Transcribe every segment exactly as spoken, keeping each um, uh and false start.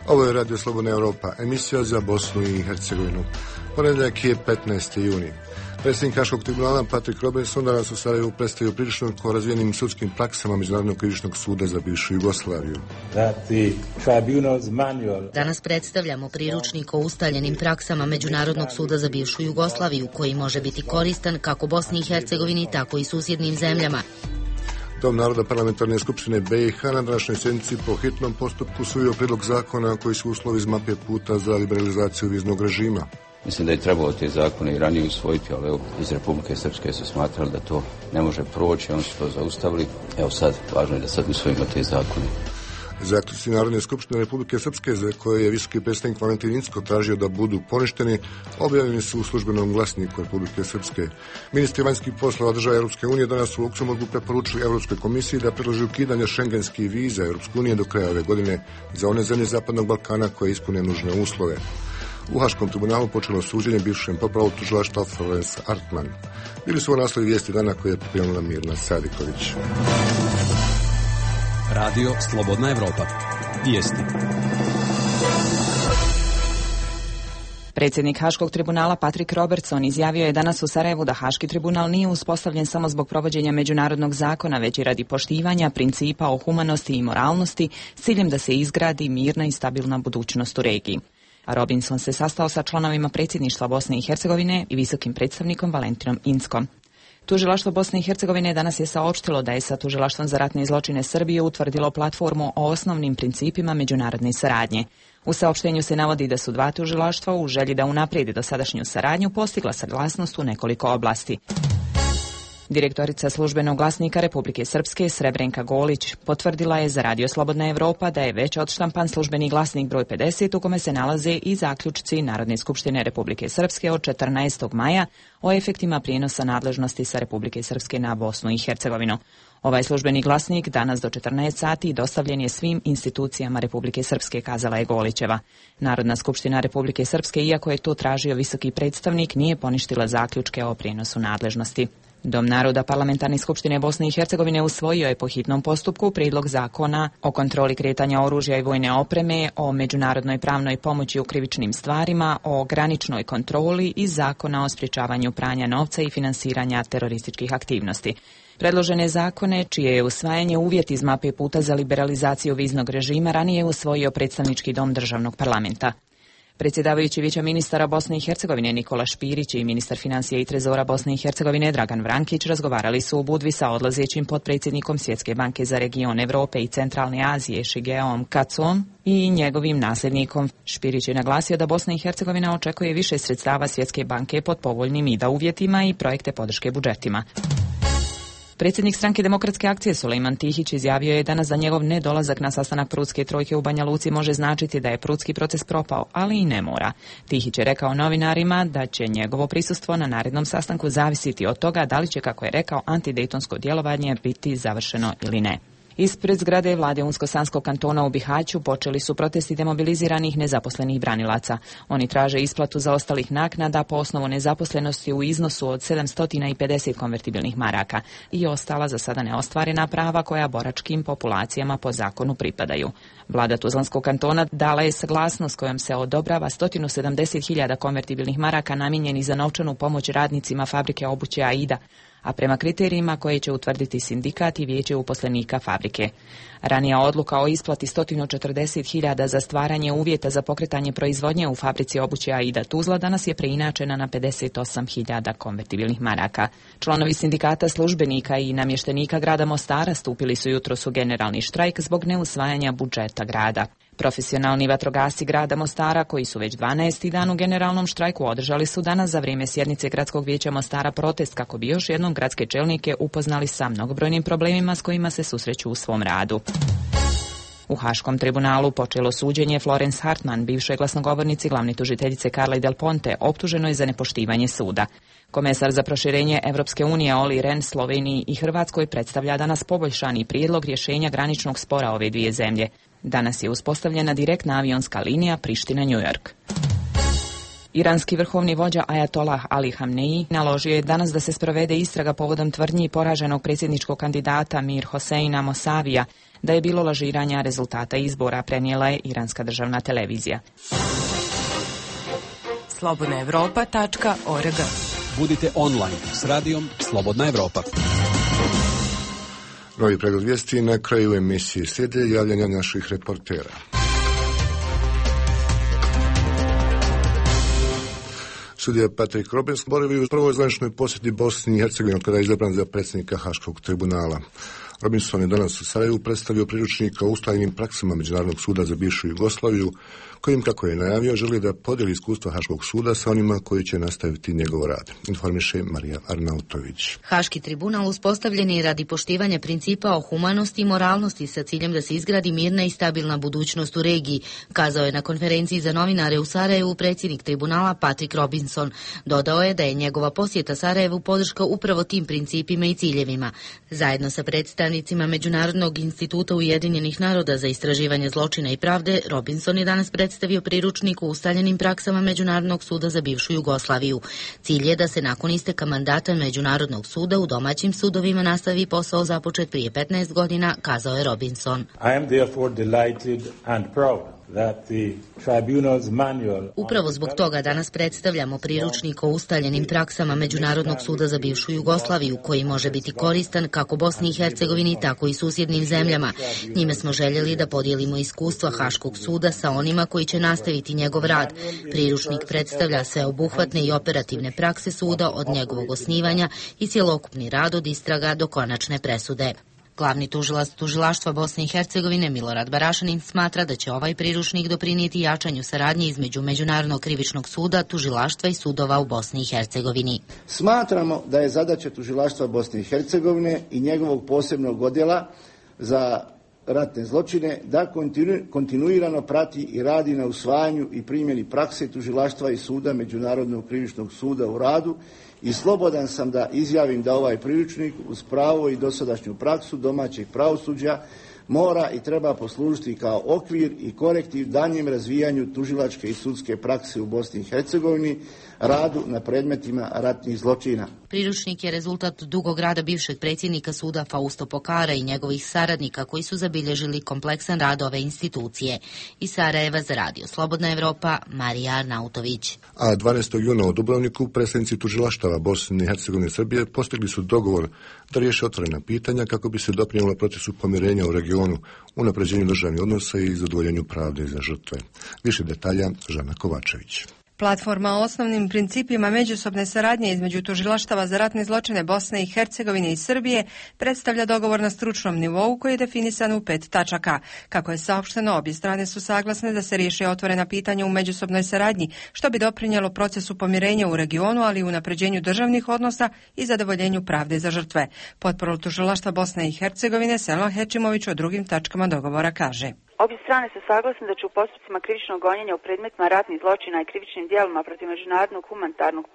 Ovo je Radio Slobodna Europa, emisija za Bosnu i Hercegovinu. Ponedjeljak je petnaesti juni. Predsjednik Haškog tribunala Patrick Robertson danas u Sarajevu predstavio priručnik o razvijenim sudskim praksama Međunarodnog krivičnog suda za bivšu Jugoslaviju. Danas predstavljamo priručnik o ustaljenim praksama Međunarodnog suda za bivšu Jugoslaviju, koji može biti koristan kako Bosni i Hercegovini, tako i susjednim zemljama. Dom naroda parlamentarne skupštine B i H na današnjoj sjednici po hitnom postupku usvojio prijedlog zakona koji su uslovi iz mape puta za liberalizaciju viznog režima. Mislim da je trebalo te zakone i ranije usvojiti, ali evo, iz Republike Srpske su smatrali da to ne može proći, oni su to zaustavili. Evo sad, važno je da sad usvojimo te zakone. Zaključci Narodne skupštine Republike Srpske, za koje je visoki predstavnik Valentin Incko tražio da budu poništeni, objavljeni su u službenom glasniku Republike Srpske. Ministri vanjskih poslova država Europske unije danas u Luksemburgu preporučili Europskoj komisiji da predloži ukidanje šengenskih viza Europske unije do kraja ove godine za one zemlje Zapadnog Balkana koje ispune nužne uslove. U Haškom tribunalu počelo suđenje bivšem popravu tužilaštva Florence Artman. Bili su ovo naslovi vijesti dana koje je pripremila Mirna Sadiković. Radio Slobodna Evropa. Vijesti. Predsjednik Haškog tribunala Patrick Robertson izjavio je danas u Sarajevu da Haški tribunal nije uspostavljen samo zbog provođenja međunarodnog zakona, već i radi poštivanja principa o humanosti i moralnosti s ciljem da se izgradi mirna i stabilna budućnost u regiji. Robinson se sastao sa članovima predsjedništva Bosne i Hercegovine i visokim predstavnikom Valentinom Inckom. Tužilaštvo Bosne i Hercegovine danas je saopštilo da je sa Tužilaštvom za ratne zločine Srbije utvrdilo platformu o osnovnim principima međunarodne saradnje. U saopštenju se navodi da su dva tužilaštva u želji da unaprijede dosadašnju saradnju postigla saglasnost u nekoliko oblasti. Direktorica službenog glasnika Republike Srpske Srebrenka Golić potvrdila je za Radio Slobodna Evropa da je već odštampan službeni glasnik broj pedeset u kome se nalaze i zaključci Narodne skupštine Republike Srpske od četrnaestog maja o efektima prijenosa nadležnosti sa Republike Srpske na Bosnu i Hercegovinu. Ovaj službeni glasnik danas do četrnaest sati dostavljen je svim institucijama Republike Srpske, kazala je Golićeva. Narodna skupština Republike Srpske, iako je to tražio visoki predstavnik, nije poništila zaključke o prijenosu nadležnosti. Dom naroda Parlamentarne skupštine Bosne i Hercegovine usvojio je po hitnom postupku prijedlog zakona o kontroli kretanja oružja i vojne opreme, o međunarodnoj pravnoj pomoći u krivičnim stvarima, o graničnoj kontroli i zakona o sprječavanju pranja novca i finansiranja terorističkih aktivnosti. Predložene zakone, čije je usvajanje uvjet iz mape puta za liberalizaciju viznog režima, ranije je usvojio predstavnički dom državnog parlamenta. Predsjedavajući Vijeća ministara Bosne i Hercegovine Nikola Špirić i ministar financija i trezora Bosne i Hercegovine Dragan Vrankić razgovarali su u Budvi sa odlazećim potpredsjednikom Svjetske banke za region Evrope i Centralne Azije Shigeom Katsuom i njegovim nasljednikom. Špirić je naglasio da Bosna i Hercegovina očekuje više sredstava Svjetske banke pod povoljnim I D A uvjetima i projekte podrške budžetima. Predsjednik stranke Demokratske akcije Sulejman Tihić izjavio je danas da njegov nedolazak na sastanak Prudske trojke u Banja Luci može značiti da je Prudski proces propao, ali i ne mora. Tihić je rekao novinarima da će njegovo prisustvo na narednom sastanku zavisiti od toga da li će, kako je rekao, antidejtonsko djelovanje biti završeno ili ne. Ispred zgrade vlade Unsko-Sanskog kantona u Bihaću počeli su protesti demobiliziranih nezaposlenih branilaca. Oni traže isplatu zaostalih naknada po osnovu nezaposlenosti u iznosu od sedamsto pedeset konvertibilnih maraka i ostala za sada neostvarena prava koja boračkim populacijama po zakonu pripadaju. Vlada Tuzlanskog kantona dala je saglasnost kojom se odobrava sto sedamdeset hiljada konvertibilnih maraka namijenjenih za novčanu pomoć radnicima fabrike obuće Aida, a prema kriterijima koje će utvrditi sindikat i vijeće uposlenika fabrike. Ranija odluka o isplati sto četrdeset hiljada za stvaranje uvjeta za pokretanje proizvodnje u fabrici obuće Aida Tuzla danas je preinačena na pedeset osam hiljada konvertibilnih maraka. Članovi sindikata službenika i namještenika grada Mostara stupili su jutros u generalni štrajk zbog neusvajanja budžeta grada. Profesionalni vatrogasci grada Mostara, koji su već dvanaesti dan u generalnom štrajku, održali su danas za vrijeme sjednice Gradskog vijeća Mostara protest kako bi još jednom gradske čelnike upoznali sa mnogobrojnim problemima s kojima se susreću u svom radu. U Haškom tribunalu počelo suđenje Florence Hartman, bivšoj glasnogovornici glavne tužiteljice Carle Del Ponte, optuženoj za nepoštivanje suda. Komesar za proširenje Evropske unije Olli Rehn Sloveniji i Hrvatskoj predstavlja danas poboljšani prijedlog rješenja graničnog spora ove dvije zemlje. Danas je uspostavljena direktna avionska linija Priština-New York. Iranski vrhovni vođa Ajatolah Ali Hamneji naložio je danas da se sprovede istraga povodom tvrdnji poraženog predsjedničkog kandidata Mir Hoseina Mosavija da je bilo lažiranja rezultata izbora, prenijela je iranska državna televizija. slobodna evropa tačka org. Budite online s radijom Slobodna Evropa. Novi pregled vijesti na kraju emisije slijede javljanja naših reportera. Sudija Patrick Robinson boravi u prvoj zvaničnoj posjeti Bosni i Hercegovini kada je izabran za predsjednika Haškog tribunala. Robinson je danas u Sarajevu predstavio priručnik o ustaljenim praksama Međunarodnog suda za bivšu Jugoslaviju, kojim, kako je najavio, želi da podijeli iskustva Haškog suda sa onima koji će nastaviti njegov rad. Informiše Marija Arnautović. Haški tribunal uspostavljen je radi poštivanja principa o humanosti i moralnosti sa ciljem da se izgradi mirna i stabilna budućnost u regiji, kazao je na konferenciji za novinare u Sarajevu predsjednik tribunala Patrick Robinson. Dodao je da je njegova posjeta Sarajevu podrška upravo tim principima i ciljevima. Zajedno sa predstavnicima Međunarodnog instituta Ujedinjenih naroda za istraživanje zločina i pravde, Robinson je danas predstavio priručnik o ustaljenim praksama Međunarodnog suda za bivšu Jugoslaviju. Cilj je da se nakon isteka mandata Međunarodnog suda u domaćim sudovima nastavi posao započet prije petnaest godina, kazao je Robinson. I am therefore delighted and proud that the tribunal's manual... Upravo zbog toga danas predstavljamo priručnik o ustaljenim praksama Međunarodnog suda za bivšu Jugoslaviju, koji može biti koristan kako Bosni i Hercegovini, tako i susjednim zemljama. Njime smo željeli da podijelimo iskustva Haškog suda sa onima koji će nastaviti njegov rad. Priručnik predstavlja sveobuhvatne i operativne prakse suda od njegovog osnivanja i cjelokupni rad od istraga do konačne presude. Glavni tužilac tužilaštva Bosne i Hercegovine Milorad Barašanin smatra da će ovaj priručnik doprinijeti jačanju saradnje između Međunarodnog krivičnog suda, tužilaštva i sudova u Bosni i Hercegovini. Smatramo da je zadaća tužilaštva Bosne i Hercegovine i njegovog posebnog odjela za ratne zločine da kontinu, kontinuirano prati i radi na usvajanju i primjeni prakse tužilaštva i suda Međunarodnog krivičnog suda u radu i slobodan sam da izjavim da ovaj priručnik uz pravo i dosadašnju praksu domaćeg pravosuđa mora i treba poslužiti kao okvir i korektiv danjem razvijanju tužilačke i sudske prakse u Bosni i Hercegovini, radu na predmetima ratnih zločina. Priručnik je rezultat dugog rada bivšeg predsjednika suda Fausto Pokara i njegovih saradnika koji su zabilježili kompleksan rad ove institucije. Iz Sarajeva za radio Slobodna Evropa, Marija Arnautović. A dvanaestog juna u Dubrovniku predstavnici tužilaštava Bosne i Hercegovine i Srbije postigli su dogovor da riješe otvorena pitanja kako bi se doprinijelo procesu pomirenja u regionu, unapređenju državnih odnosa i zadovoljenju pravde za žrtve. Više detalja Žana Kovačević. Platforma o osnovnim principima međusobne saradnje između tužilaštava za ratne zločine Bosne i Hercegovine i Srbije predstavlja dogovor na stručnom nivou koji je definisan u pet tačaka. Kako je saopšteno, obje strane su saglasne da se riješe otvorena pitanja u međusobnoj saradnji, što bi doprinijelo procesu pomirenja u regionu, ali i unapređenju državnih odnosa i zadovoljenju pravde za žrtve. Potporol tužilaštva Bosne i Hercegovine Selma Hečimović o drugim tačkama dogovora kaže. Obje strane su saglasne da će u postupcima krivičnog gonjenja u predmetima ratnih zločina i krivičnim djelima protiv međunarodnog humanitarnog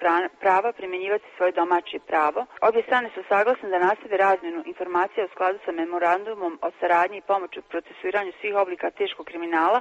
prava primjenjivati svoje domaće pravo. Obje strane su saglasne da nastave razmjenu informacija u skladu sa memorandumom o saradnji i pomoći u procesuiranju svih oblika teškog kriminala.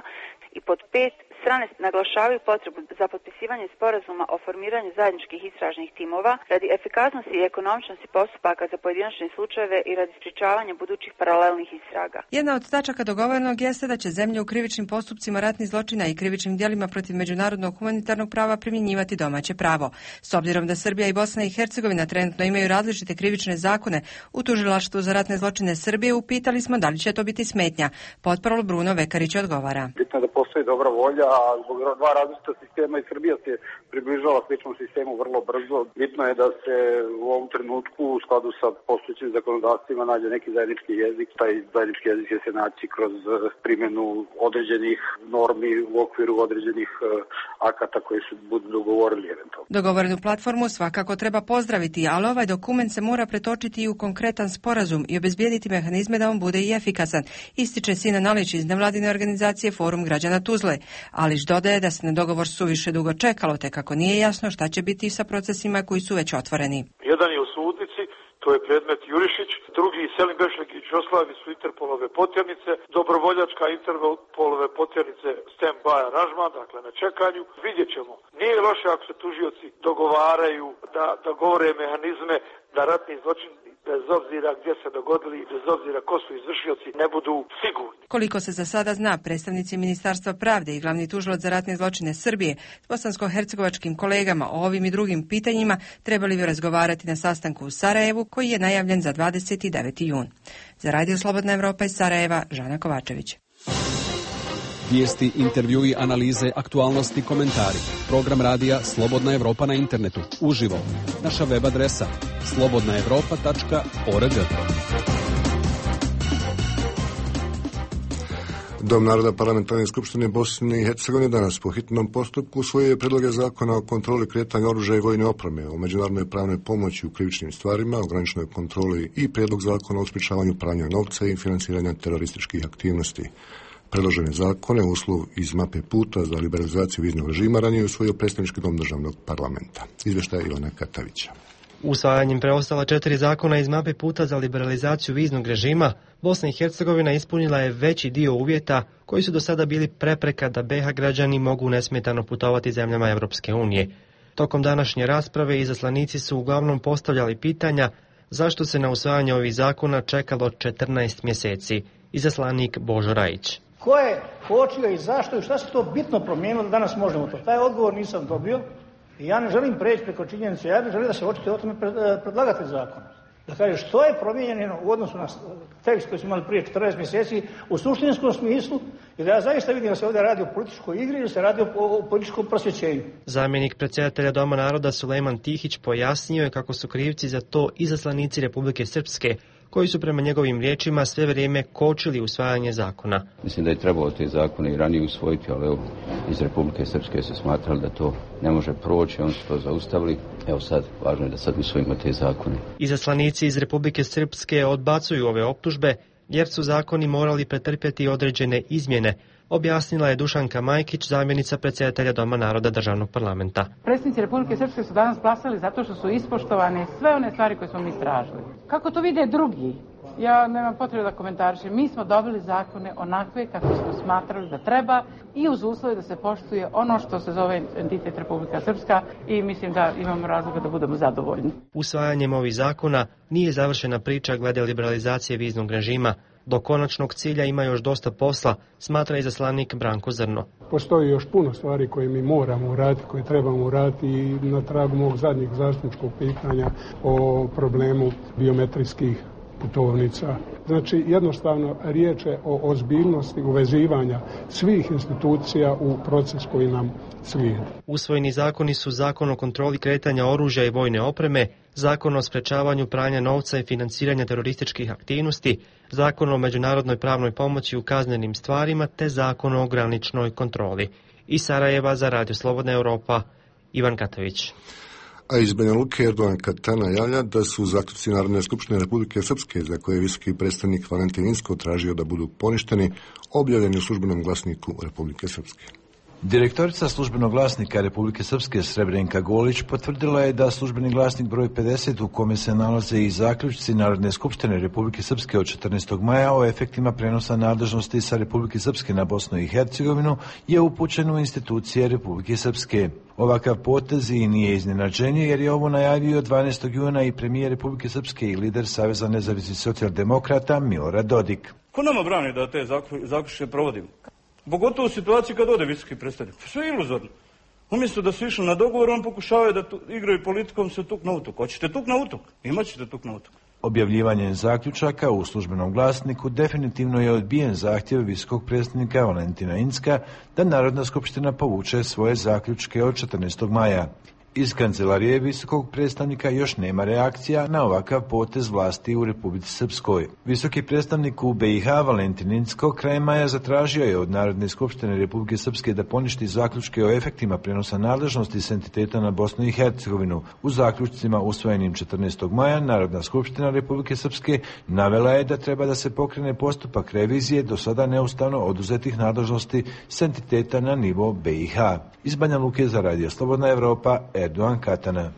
I pod pet, strane naglašavaju potrebu za potpisivanje sporazuma o formiranju zajedničkih istražnih timova radi efikasnosti i ekonomičnosti postupaka za pojedinačne slučajeve i radi sprječavanja budućih paralelnih istraga. Jedna od tačaka dogovorenog jeste da će zemlje u krivičnim postupcima ratnih zločina i krivičnim djelima protiv međunarodnog humanitarnog prava primjenjivati domaće pravo. S obzirom da Srbija i Bosna i Hercegovina trenutno imaju različite krivične zakone, u tužilaštvu za ratne zločine Srbije upitali smo da li će to biti smetnja. Potporol Bruno Vekarić odgovara. Bitno je da postoji dobra volja, a zbog dva različita sistema i Srbija se približava sličnom sistemu vrlo brzo. Bitno je da se u ovom trenutku u skladu sa postojećim zakonodavstvima nađe neki zajednički jezik. Taj zajednički jezik će se naći kroz primjenu određenih normi u okviru određenih akata koji se budu dogovorili eventualno. Dogovorenu platformu svakako treba pozdraviti, ali ovaj dokument se mora pretočiti i u konkretan sporazum i obezbijediti mehanizme da on bude i efikasan, ističe Sina Nalić iz nevladine organizacije Forum građana Tuzle. Alić dodaje da se na dogovor suviše dugo čekalo, te kako nije jasno šta će biti sa procesima koji su već otvoreni. Jedan je u sudnici, to je predmet Jurišić, drugi Selim Bešlegić Oslavi su Interpolove potjernice, dobrovoljačka Interpolove potjernice stand-by aranžman, dakle na čekanju. Vidjet ćemo. Nije loše ako se tužioci dogovaraju da, da govore mehanizme da ratni zločini, bez obzira gdje se dogodili i bez obzira ko su izvršioci, ne budu sigurni. Koliko se za sada zna, predstavnici Ministarstva pravde i glavni tužilac za ratne zločine Srbije s bosansko-hercegovačkim kolegama o ovim i drugim pitanjima trebali bi razgovarati na sastanku u Sarajevu koji je najavljen za dvadeset deveti jun. Za Radio Slobodna Evropa iz Sarajeva, Žana Kovačević. Vijesti, intervjui, analize, aktualnosti, komentari. Program radija Slobodna Evropa na internetu. Uživo. Naša web adresa slobodna evropa tačka org. Dom naroda Parlamentarne skupštine Bosne i Hercegovine danas po hitnom postupku usvojio predloge zakona o kontroli kretanja oružja i vojne opreme, o međunarodnoj pravnoj pomoći u krivičnim stvarima, o graničnoj kontroli i prijedlog zakona o sprječavanju pranja novca i financiranja terorističkih aktivnosti. Predložene zakone, uslov iz mape puta za liberalizaciju viznog režima, ranije usvojio predstavnički dom državnog parlamenta. Izvještaj Ivana Katavića. Usvajanjem preostala četiri zakona iz mape puta za liberalizaciju viznog režima, Bosna i Hercegovina ispunila je veći dio uvjeta koji su do sada bili prepreka da be ha građani mogu nesmetano putovati zemljama Europske unije. Tokom današnje rasprave izaslanici su uglavnom postavljali pitanja zašto se na usvajanje ovih zakona čekalo četrnaest mjeseci. Izaslanik Božo Rajić. Ko je kočio i zašto i šta se to bitno promijenilo da danas možemo to? Taj odgovor nisam dobio i ja ne želim preći preko činjenice, ja bih želio da se očituje o tome predlagatelj zakona. Da kaže što je promijenjeno u odnosu na tekst koji smo imali prije četrnaest mjeseci u suštinskom smislu i da ja zaista vidim da se ovdje radi o političkoj igri ili se radi o, o političkom prosvjećenju. Zamjenik predsjedatelja Doma naroda Sulejman Tihić pojasnio je kako su krivci za to izaslanici Republike Srpske, koji su prema njegovim riječima sve vrijeme kočili usvajanje zakona. Mislim da je trebalo te zakone i ranije usvojiti, ali evo, iz Republike Srpske su smatrali da to ne može proći, oni su to zaustavili. Evo sad, važno je da sad usvojimo te zakone. Izaslanici iz Republike Srpske odbacuju ove optužbe, jer su zakoni morali pretrpjeti određene izmjene, objasnila je Dušanka Majkić, zamjenica predsjedatelja Doma naroda državnog parlamenta. Predsjednici Republike Srpske su danas glasali zato što su ispoštovane sve one stvari koje smo mi tražili. Kako to vide drugi? Ja nemam potrebe da komentarišem. Mi smo dobili zakone onakve kako smo smatrali da treba i uz uslove da se poštuje ono što se zove entitet Republika Srpska i mislim da imamo razloga da budemo zadovoljni. Usvajanjem ovih zakona nije završena priča glede liberalizacije viznog režima. Do konačnog cilja ima još dosta posla, smatra izaslanik Branko Zrno. Postoji još puno stvari koje mi moramo uraditi, koje trebamo uraditi i na tragu mog zadnjeg zastupničkog pitanja o problemu biometrijskih putovnica. Znači, jednostavno riječ je o ozbiljnosti uvezivanja svih institucija u proces koji nam slijedi. Usvojeni zakoni su Zakon o kontroli kretanja oružja i vojne opreme, Zakon o sprečavanju pranja novca i financiranja terorističkih aktivnosti, Zakon o međunarodnoj pravnoj pomoći u kaznenim stvarima te Zakon o graničnoj kontroli. Iz Sarajeva za Radio Slobodna Evropa, Ivan Katavić. A iz Banja Luke Erdogan Katana javlja da su zaključci Narodne skupštine Republike Srpske, za koje je visoki predstavnik Valentin Inzko tražio da budu poništeni, objavljeni u službenom glasniku Republike Srpske. Direktorica službenog glasnika Republike Srpske Srebrenka Golić potvrdila je da službeni glasnik broj pedeset u kome se nalaze i zaključci Narodne skupštine Republike Srpske od četrnaestog maja o efektima prenosa nadležnosti sa Republike Srpske na Bosnu i Hercegovinu je upućen u institucije Republike Srpske. Ovakav potez i nije iznenađenje jer je ovo najavio dvanaestog juna i premijer Republike Srpske i lider Saveza nezavisnih socijaldemokrata Milorad Dodik. Ko nama brani da te zaključke provodimo? Pogotovo u situaciji kad ode visoki predstavnik. Sve je iluzorno. Umjesto da su išli na dogovor, on pokušavaju da tu, igraju politikom se tuk na utuk. Hoćete tuk na utuk? Imat ćete tuk na utuk. Objavljivanjem zaključaka u službenom glasniku definitivno je odbijen zahtjev visokog predstavnika Valentina Inzka da Narodna skupština povuče svoje zaključke od četrnaestog maja. Iz kancelarije visokog predstavnika još nema reakcija na ovakav potez vlasti u Republici Srpskoj. Visoki predstavnik u be i ha Valentin Inzko krajem maja zatražio je od Narodne skupštine Republike Srpske da poništi zaključke o efektima prenosa nadležnosti s entiteta na Bosnu i Hercegovinu. U zaključcima usvojenim četrnaestog maja Narodna skupština Republike Srpske navela je da treba da se pokrene postupak revizije do sada neustavno oduzetih nadležnosti s entiteta na nivo be i ha. Iz Banja Luke za Radio Slobodna Evropa, Erdogan Katana.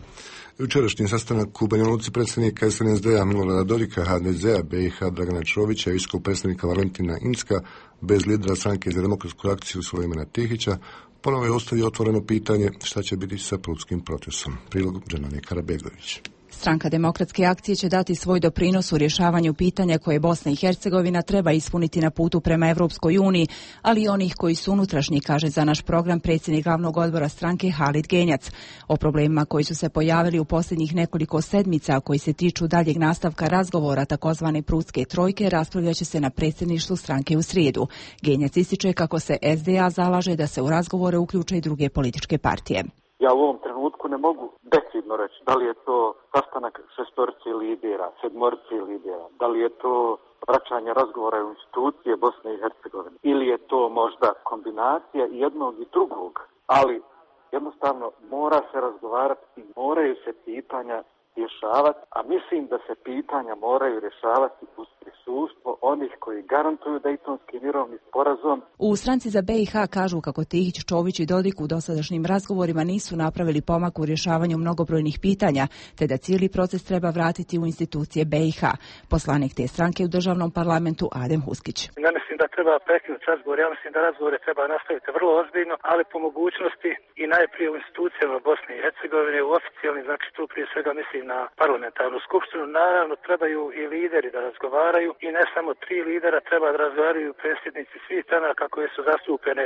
Jučerašnji sastanak u Banja Luci predsjednika S N S D-a Milorada Dodika, H D Z-a, B i H Dragana Čovića i visokog predstavnika Valentina Incka, bez lidera stranke za demokratsku akciju Sulejmana Tihića, ponovo je ostavio otvoreno pitanje šta će biti sa prutskim procesom. Prilog Dženane Karabegović. Stranka demokratske akcije će dati svoj doprinos u rješavanju pitanja koje Bosna i Hercegovina treba ispuniti na putu prema Evropskoj uniji, ali i onih koji su unutrašnji, kaže za naš program predsjednik glavnog odbora stranke Halid Genjac. O problemima koji su se pojavili u posljednjih nekoliko sedmica, koji se tiču daljeg nastavka razgovora takozvane prutske trojke, raspravljat će se na predsjedništvu stranke u srijedu. Genjac ističe kako se S D A zalaže da se u razgovore uključe i druge političke partije. Ja u ovom trenutku ne mogu decidno reći da li je to sastanak šestorci lidera, sedmorci lidera, da li je to vraćanje razgovora u institucije Bosne i Hercegovine ili je to možda kombinacija jednog i drugog, ali jednostavno mora se razgovarati i moraju se pitanja rješavati, a mislim da se pitanja moraju rješavati uz prisustvo onih koji garantuju Dejtonski mirovni sporazum. U stranci za B i H kažu kako Tihić, Čović i Dodik u dosadašnjim razgovorima nisu napravili pomak u rješavanju mnogobrojnih pitanja, te da cijeli proces treba vratiti u institucije B i H. Poslanik te stranke u državnom parlamentu Adem Huskić. Ja mislim da treba prekinuti razgovor, ja mislim da razgovore treba nastaviti vrlo ozbiljno, ali po mogućnosti i najprije u institucijama Bosne i Hercegovine, u oficijalni, znači tu prije svega mislim na parlamentarnu skupštinu. Naravno trebaju i lideri da razgovaraju i ne samo tri lidera, treba da razgovaraju predsjednici svih stranaka koje su zastupljene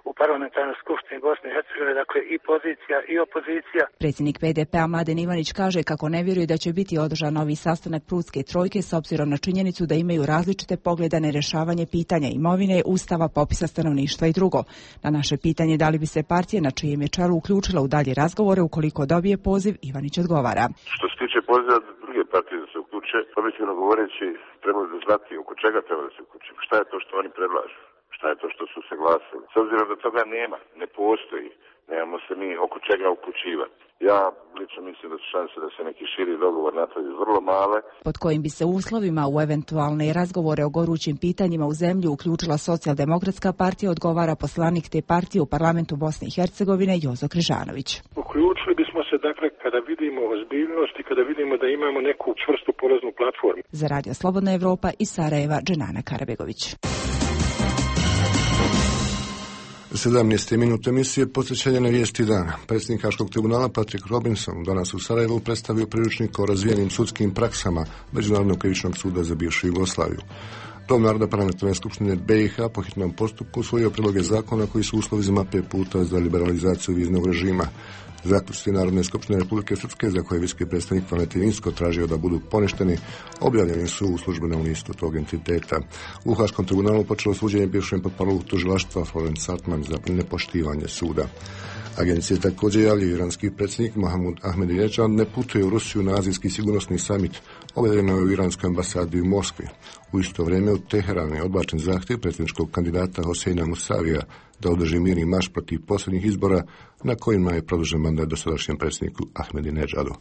u parlamentarnoj skupštini Bosne i Hercegovine, dakle i pozicija i opozicija. Predsjednik P D P-a Mladen Ivanić kaže kako ne vjeruje da će biti održan novi sastanak prutske trojke s obzirom na činjenicu da imaju različite poglede na rješavanje pitanja imovine, ustava, popisa stanovništva i drugo. Na naše pitanje da li bi se partija na čijem je čelu uključila u dalje razgovore ukoliko dobije poziv, Ivanić odgovara. Što se tiče poziva druge partije da se uključe, objektivno govoreći treba da znati oko čega treba da se uključe. Šta je to što oni predlažu? Šta je to što su se glasili? S obzirom da toga nema, ne postoji, nemamo se mi oko čega uključivati. Ja lično mislim da su šanse da se neki širi dogovor napravi vrlo male. Pod kojim bi se uslovima u eventualne razgovore o gorućim pitanjima u zemlji uključila Socijaldemokratska partija, odgovara poslanik te partije u parlamentu Bosne i Hercegovine Jozo Križanović. Uključili bismo se dakle kada vidimo ozbiljnost i kada vidimo da imamo neku čvrstu polaznu platformu. Za Radio Slobodna Evropa iz Sarajeva, Dženana Karabegović. sedamnaeste minut emisije posvećenja na vijesti dana. Predsjednik Haškog tribunala Patrick Robinson danas u Sarajevu predstavio priručnik o razvijenim sudskim praksama Međunarodnog krivičnog suda za bivšu Jugoslaviju. Dom naroda parlamentarne skupštine B i H po hitnom postupku usvojio prijedloge zakona koji su uslovi za mape puta za liberalizaciju viznog režima. Zaključci Narodne skupštine Republike Srpske, za koje visoki predstavnik Valentin Incko tražio da budu poništeni, objavljeni su u službenom listu tog entiteta. U Haškom tribunalu počelo suđenje bivšem potparolu tužilaštva Florence Sartman za nepoštivanje suda. Agencije također javljaju iranski predsjednik Mahmud Ahmadinejad ne putuje u Rusiju na azijski sigurnosni samit, objavljeno je u iranskoj ambasadi u Moskvi. U isto vrijeme u Teheranu je odbačen zahtjev predsjedničkog kandidata Hoseina Musavija da održi mirni marš protiv posljednjih izbora na kojima je produžen mandat dosadašnjem predsjedniku Ahmadinejadu.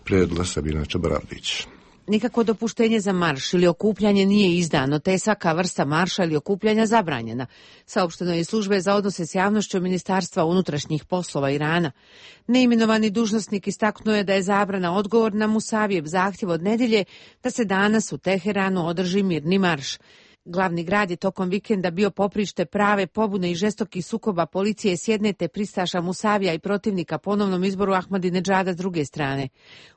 Prijedla Sabina Čabaravdić. Nikakvo dopuštenje za marš ili okupljanje nije izdano, te je svaka vrsta marša ili okupljanja zabranjena. Saopšteno je iz službe za odnose s javnošću Ministarstva unutrašnjih poslova Irana. Neimenovani dužnosnik istaknuo je da je zabrana odgovor na Musavijev zahtjev od nedjelje da se danas u Teheranu održi mirni marš. Glavni grad je tokom vikenda bio poprište prave pobune i žestokih sukoba policije s jedne te pristaša Musavija i protivnika ponovnom izboru Ahmadinejada s druge strane.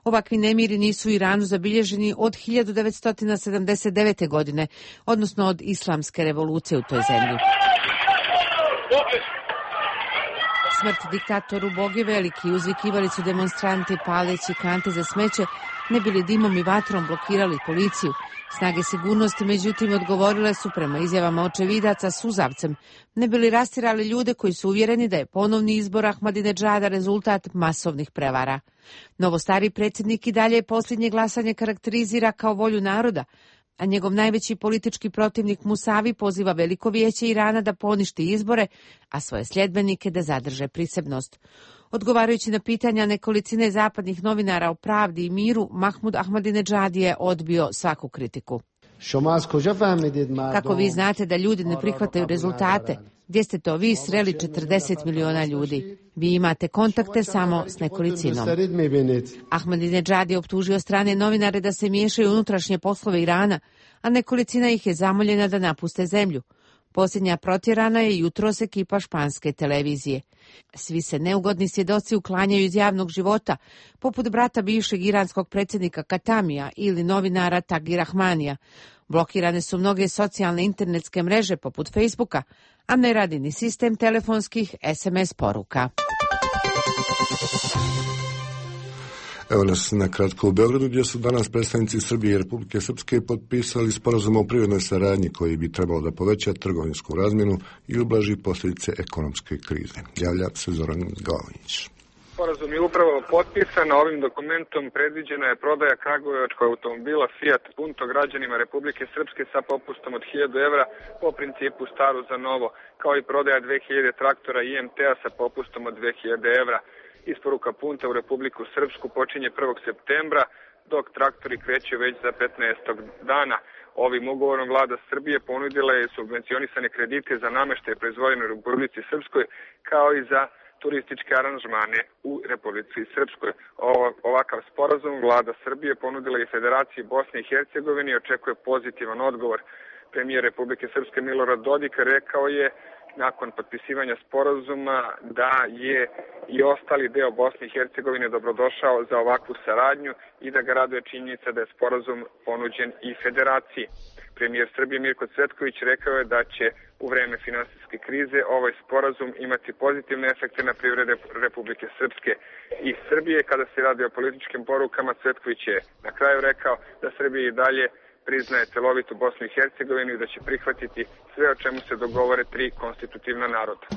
Ovakvi nemiri nisu u Iranu zabilježeni od hiljadu devetsto sedamdeset devete. godine, odnosno od islamske revolucije u toj zemlji. Smrt diktatoru Bog je veliki, uzvikivali su demonstranti paleći kante za smeće, ne bili dimom i vatrom blokirali policiju. Snage sigurnosti, međutim, odgovorile su prema izjavama očevidaca suzavcem, ne bili rastirali ljude koji su uvjereni da je ponovni izbor Ahmadinejada rezultat masovnih prevara. Novostari predsjednik i dalje posljednje glasanje karakterizira kao volju naroda, a njegov najveći politički protivnik Musavi poziva Veliko vijeće Irana da poništi izbore, a svoje sljedbenike da zadrže prisebnost. Odgovarajući na pitanja nekolicine zapadnih novinara o pravdi i miru, Mahmud Ahmadinejad je odbio svaku kritiku. Kako vi znate da ljudi ne prihvataju rezultate? Gdje ste to vi sreli četrdeset miliona ljudi? Vi imate kontakte samo s nekolicinom. Ahmadinejad je optužio strane novinare da se miješaju u unutrašnje poslove Irana, a nekolicina ih je zamoljena da napuste zemlju. Posljednja protjerana je jutros ekipa španske televizije. Svi se neugodni svjedoci uklanjaju iz javnog života, poput brata bivšeg iranskog predsjednika Katamija ili novinara Tagi Rahmanija. Blokirane su mnoge socijalne internetske mreže poput Facebooka, a ne radi ni sistem telefonskih es em es poruka. Evo nas na kratko u Beogradu, gdje su danas predstavnici Srbije i Republike Srpske potpisali sporazum o privrednoj saradnji koji bi trebalo da poveća trgovinsku razmjenu i ublaži posljedice ekonomske krize. Javlja se Zoran Glavinić. Sporazum je upravo potpisan, a ovim dokumentom predviđena je prodaja kragujevačkog automobila Fiat Punto građanima Republike Srpske sa popustom od hiljadu evra po principu staro za novo, kao i prodaja dve hiljade traktora i em te a sa popustom od dve hiljade evra. Isporuka Punta u Republiku Srpsku počinje prvog septembra, dok traktori kreću već za petnaestog dana. Ovim ugovorom vlada Srbije ponudila je subvencionisane kredite za nameštaj proizvodnje u Republici Srpskoj, kao i za turističke aranžmane u Republici Srpskoj. Ovakav sporazum vlada Srbije ponudila i Federaciji Bosne i Hercegovine i očekuje pozitivan odgovor. Premijer Republike Srpske Milorad Dodik rekao je nakon potpisivanja sporazuma da je i ostali deo Bosne i Hercegovine dobrodošao za ovakvu saradnju i da ga raduje činjenica da je sporazum ponuđen i Federaciji. Premijer Srbije Mirko Cvetković rekao je da će u vreme finansijske krize ovaj sporazum imati pozitivne efekte na privrede Republike Srpske i Srbije. Kada se radi o političkim porukama, Cvetković je na kraju rekao da Srbija i dalje priznaje celovitu Bosnu i Hercegovinu i da će prihvatiti sve o čemu se dogovore tri konstitutivna naroda.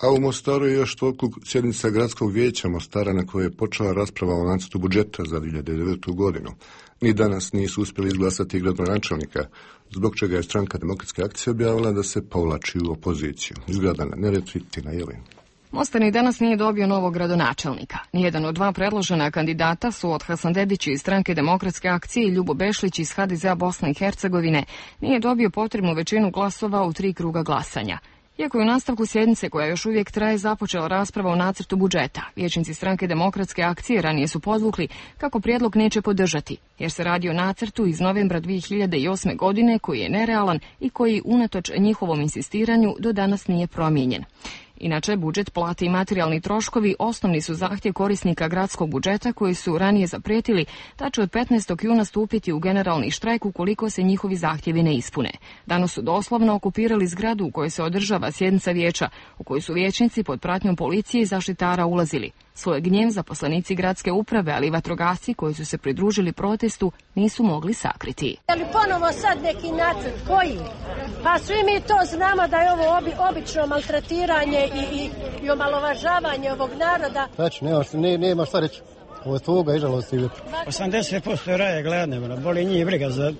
A u Mostaru je još toliko sjednica Gradskog vijeća Mostara na kojoj je počela rasprava o nacrtu budžeta za dvije hiljade devetu godinu. Ni danas nisu uspjeli izglasati gradonačelnika, zbog čega je stranka Demokratske akcije objavila da se povlači u opoziciju. Izgleda na Neretvi, Tina Jelin. Mostar ni danas nije dobio novog gradonačelnika. Nijedan od dva predložena kandidata su od Hasan Dedić iz stranke Demokratske akcije i Ljubo Bešlić iz ha de ze a Bosne i Hercegovine nije dobio potrebnu većinu glasova u tri kruga glasanja. Iako je u nastavku sjednice koja još uvijek traje započela rasprava o nacrtu budžeta, vijećnici stranke Demokratske akcije ranije su podvukli kako prijedlog neće podržati, jer se radi o nacrtu iz novembra dvije hiljade osme. godine koji je nerealan i koji unatoč njihovom insistiranju do danas nije promijenjen. Inače, budžet, plate i materijalni troškovi osnovni su zahtjev korisnika gradskog budžeta koji su ranije zaprijetili da će od petnaestog juna stupiti u generalni štrajk ukoliko se njihovi zahtjevi ne ispune. Danas su doslovno okupirali zgradu u kojoj se održava sjednica vijeća, u kojoj su vijećnici pod pratnjom policije i zaštitara ulazili. Svoj gnjev zaposlenici gradske uprave, ali i vatrogasci koji su se pridružili protestu, nisu mogli sakriti. Ali ponovo sad neki nacrt, koji? Pa svi mi to znamo da je ovo obi, obično maltretiranje i, i, i omalovažavanje ovog naroda. Znači, nema, ne, nema šta reći. Ovo je tvoga i žalosti uvjetno. osamdeset posto raje gladne, boli njih briga za...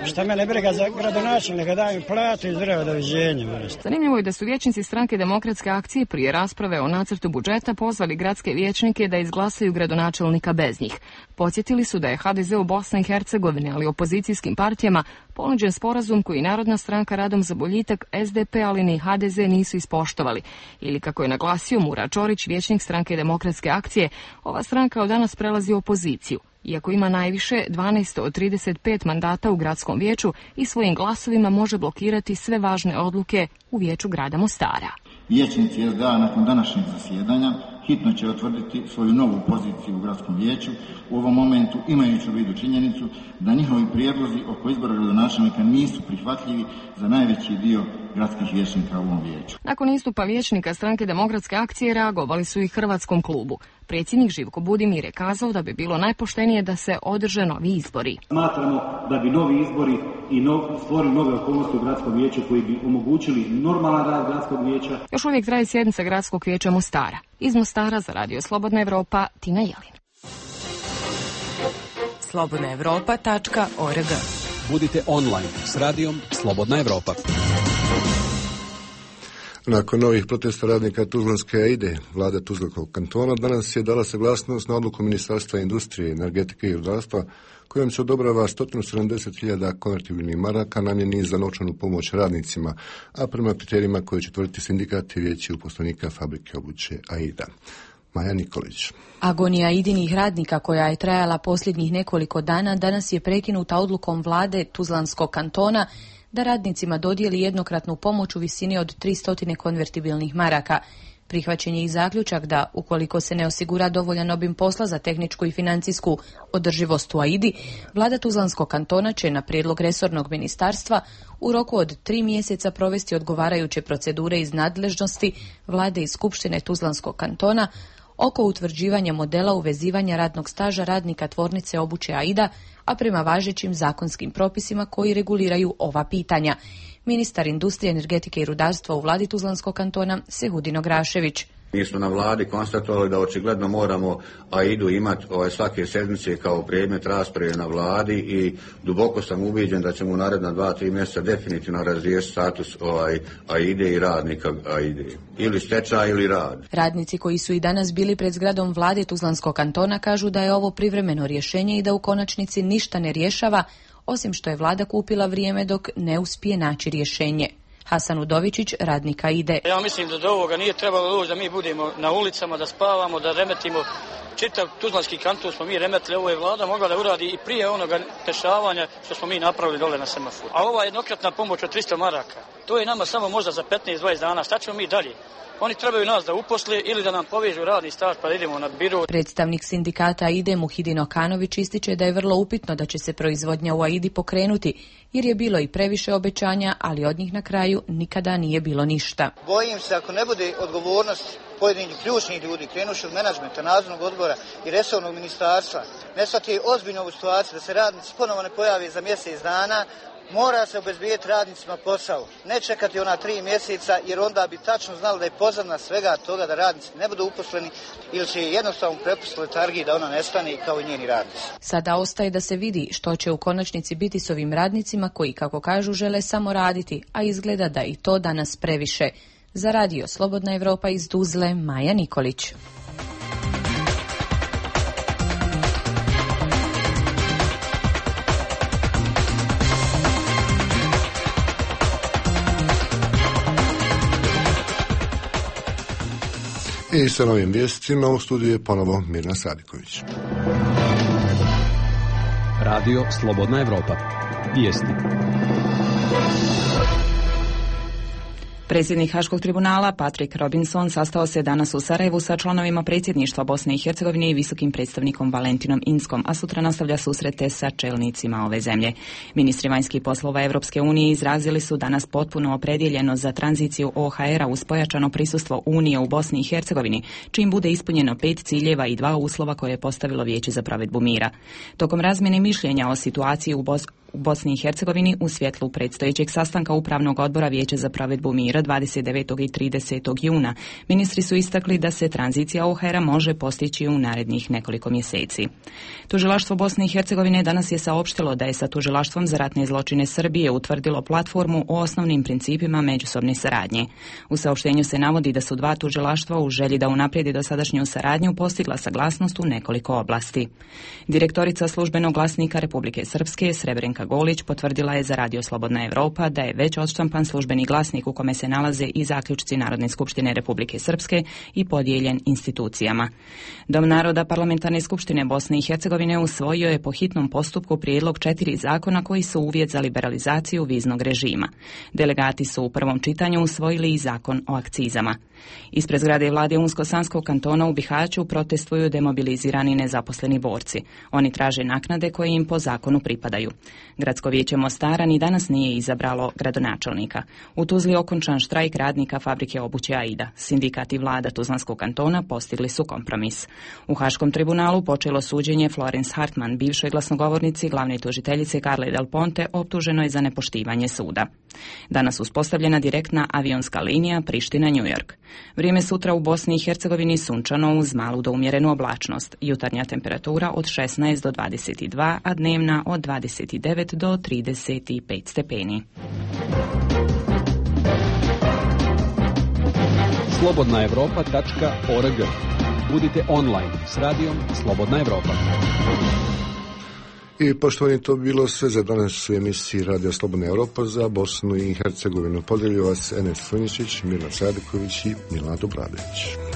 Šta mene briga za gradonačelnika, da im platu i zdravo doviđenje. Zanimljivo je da su vijećnici stranke Demokratske akcije prije rasprave o nacrtu budžeta pozvali gradske vijećnike da izglasaju gradonačelnika bez njih. Podsjetili su da je ha de ze u Bosni i Hercegovini, ali opozicijskim partijama, ponuđen sporazum koji Narodna stranka Radom za boljitak, es de pe, ali ni ha de ze nisu ispoštovali. Ili kako je naglasio Mura Čorić, vijećnik stranke Demokratske akcije, ova stranka od danas prelazi u opoziciju. Iako ima najviše dvanaest od trideset pet mandata u gradskom vijeću i svojim glasovima može blokirati sve važne odluke u vijeću grada Mostara. Vijećnici es de a nakon današnjeg zasjedanja hitno će otvrditi svoju novu poziciju u gradskom vijeću, u ovom momentu imajući u vidu činjenicu da njihovi prijedlozi oko izbora gradonačelnika nisu prihvatljivi za najveći dio gradskih vijećnika u ovom vijeću. Nakon istupa vijećnika stranke Demokratske akcije reagovali su i Hrvatskom klubu. Predsjednik Živko Budimir je kazao da bi bilo najpoštenije da se održe novi izbori. Smatramo da bi novi izbori i nov, stvorili nove okolnosti u gradskom vijeću koji bi omogućili normalan rad gradskog vijeća. Još uvijek traje sjednica gradskog vijeća Mostara. Iz Mostara za Radio Slobodna Evropa, Tina Jelin. slobodna evropa tačka org. Budite online s radijom Slobodna Evropa. Nakon novih protesta radnika Tuzlanske Aide, vlada Tuzlanskog kantona danas je dala saglasnost na odluku Ministarstva industrije, energetike i rudarstva kojom se odobrava sto sedamdeset hiljada konvertibilnih maraka namjeni za novčanu pomoć radnicima, a prema kriterijima koje će tvrditi sindikat i vijeće uposlenika fabrike obuće Aida. Maja Nikolić. Agonija Aidinih radnika koja je trajala posljednjih nekoliko dana danas je prekinuta odlukom vlade Tuzlanskog kantona da radnicima dodijeli jednokratnu pomoć u visini od tristo konvertibilnih maraka. Prihvaćen je i zaključak da, ukoliko se ne osigura dovoljan obim posla za tehničku i financijsku održivost u Aidi, vlada Tuzlanskog kantona će na prijedlog resornog ministarstva u roku od tri mjeseca provesti odgovarajuće procedure iz nadležnosti vlade i skupštine Tuzlanskog kantona oko utvrđivanja modela uvezivanja radnog staža radnika tvornice obuće Aida, a prema važećim zakonskim propisima koji reguliraju ova pitanja. Ministar industrije, energetike i rudarstva u vladi Tuzlanskog kantona Sehudin Ograšević. Mi smo na vladi konstatovali da očigledno moramo Aidu imati ovaj, svake sedmice kao predmet rasprave na vladi i duboko sam ubijeđen da ćemo u naredna dva, tri mjeseca definitivno razriješiti status ovaj, Aide i radnika Aide. Ili stečaj ili rad. Radnici koji su i danas bili pred zgradom vlade Tuzlanskog kantona kažu da je ovo privremeno rješenje i da u konačnici ništa ne rješava, osim što je vlada kupila vrijeme dok ne uspije naći rješenje. Hasan Udovičić, radnik Aide. Ja mislim da do ovoga nije trebalo doći da mi budemo na ulicama, da spavamo, da remetimo. Čitav Tuzlanski kanton smo mi remetili, ovo je vlada mogla da uradi i prije onoga dešavanja što smo mi napravili dole na semaforu. A ova jednokratna pomoć od tristo maraka, to je nama samo možda za petnaest dvadeset dana. Šta ćemo mi dalje? Oni trebaju nas da uposle ili da nam povežu radni staž pa da idemo na biro. Predstavnik sindikata Aide Muhidin Okanović ističe da je vrlo upitno da će se proizvodnja u Aidi pokrenuti, jer je bilo i previše obećanja, ali od njih na kraju nikada nije bilo ništa. Bojim se ako ne bude odgovornost pojedinih ključnih ljudi, krenuši od menadžmenta, nadzornog odbora i resornog ministarstva, ne shvati ozbiljno ovu situaciju da se radnici ponovo ne pojave za mjesec dana, mora se obezbijeti radnicima posao. Ne čekati ona tri mjeseca jer onda bi tačno znali da je pozadina svega toga da radnici ne budu uposleni ili će jednostavno prepustiti letargiji da ona nestane kao i njeni radnici. Sada ostaje da se vidi što će u konačnici biti s ovim radnicima koji, kako kažu, žele samo raditi, a izgleda da i to danas previše. Za radio Slobodna Evropa iz Tuzle, Maja Nikolić. I sa novim vijestima u studiju je ponovo Mirna Sadiković. Radio Slobodna Evropa. Vijesti. Predsjednik Haškog tribunala Patrick Robinson sastao se danas u Sarajevu sa članovima predsjedništva Bosne i Hercegovine i visokim predstavnikom Valentinom Inskom, a sutra nastavlja susrete sa čelnicima ove zemlje. Ministri vanjskih poslova Evropske unije izrazili su danas potpuno opredjeljeno za tranziciju O H R-a uz pojačano prisustvo Unije u Bosni i Hercegovini, čim bude ispunjeno pet ciljeva i dva uslova koje je postavilo Vijeće za provedbu mira. Tokom razmjene mišljenja o situaciji u Bosni U Bosni i Hercegovini u svjetlu predstojećeg sastanka Upravnog odbora Vijeća za provedbu mira dvadeset devetog i tridesetog juna, ministri su istakli da se tranzicija O H R-a može postići u narednih nekoliko mjeseci. Tužilaštvo Bosne i Hercegovine danas je saopštilo da je sa Tužilaštvom za ratne zločine Srbije utvrdilo platformu o osnovnim principima međusobne saradnje. U saopštenju se navodi da su dva tužilaštva u želji da unaprijedi dosadašnju saradnju postigla saglasnost u nekoliko oblasti. Direktorica službenog glasnika Republike Srpske Srebrenka Golić potvrdila je za Radio Slobodna Evropa da je već odštampan službeni glasnik u kome se nalaze i zaključci Narodne skupštine Republike Srpske i podijeljen institucijama. Dom naroda Parlamentarne skupštine Bosne i Hercegovine usvojio je po hitnom postupku prijedlog četiri zakona koji su uvjet za liberalizaciju viznog režima. Delegati su u prvom čitanju usvojili i zakon o akcizama. Ispred zgrade vlade Unsko-Sanskog kantona u Bihaću protestuju demobilizirani nezaposleni borci. Oni traže naknade koje im po zakonu pripadaju. Gradsko vijeće Mostara ni danas nije izabralo gradonačelnika. U Tuzli okončan štrajk radnika fabrike obuće Aida. Sindikat i vlada Tuzlanskog kantona postigli su kompromis. U Haškom tribunalu počelo suđenje Florence Hartman, bivšoj glasnogovornici glavne tužiteljice Carle Del Ponte, optuženo je za nepoštivanje suda. Danas uspostavljena direktna avionska linija Priština-New York. Vrijeme sutra u Bosni i Hercegovini sunčano uz malu do umjerenu oblačnost. Jutarnja temperatura od šesnaest do dvadeset dva, a dnevna od dvadeset devet do trideset pet stepeni. slobodna europa tačka org. Budite online s radijom Slobodna Evropa. I poštovani, to bilo sve za danas u emisiji Radija Slobodna Evropa za Bosnu i Hercegovinu. Podelio vas Enes Funjičić, Mirna Sadiković i Milana Dobradović.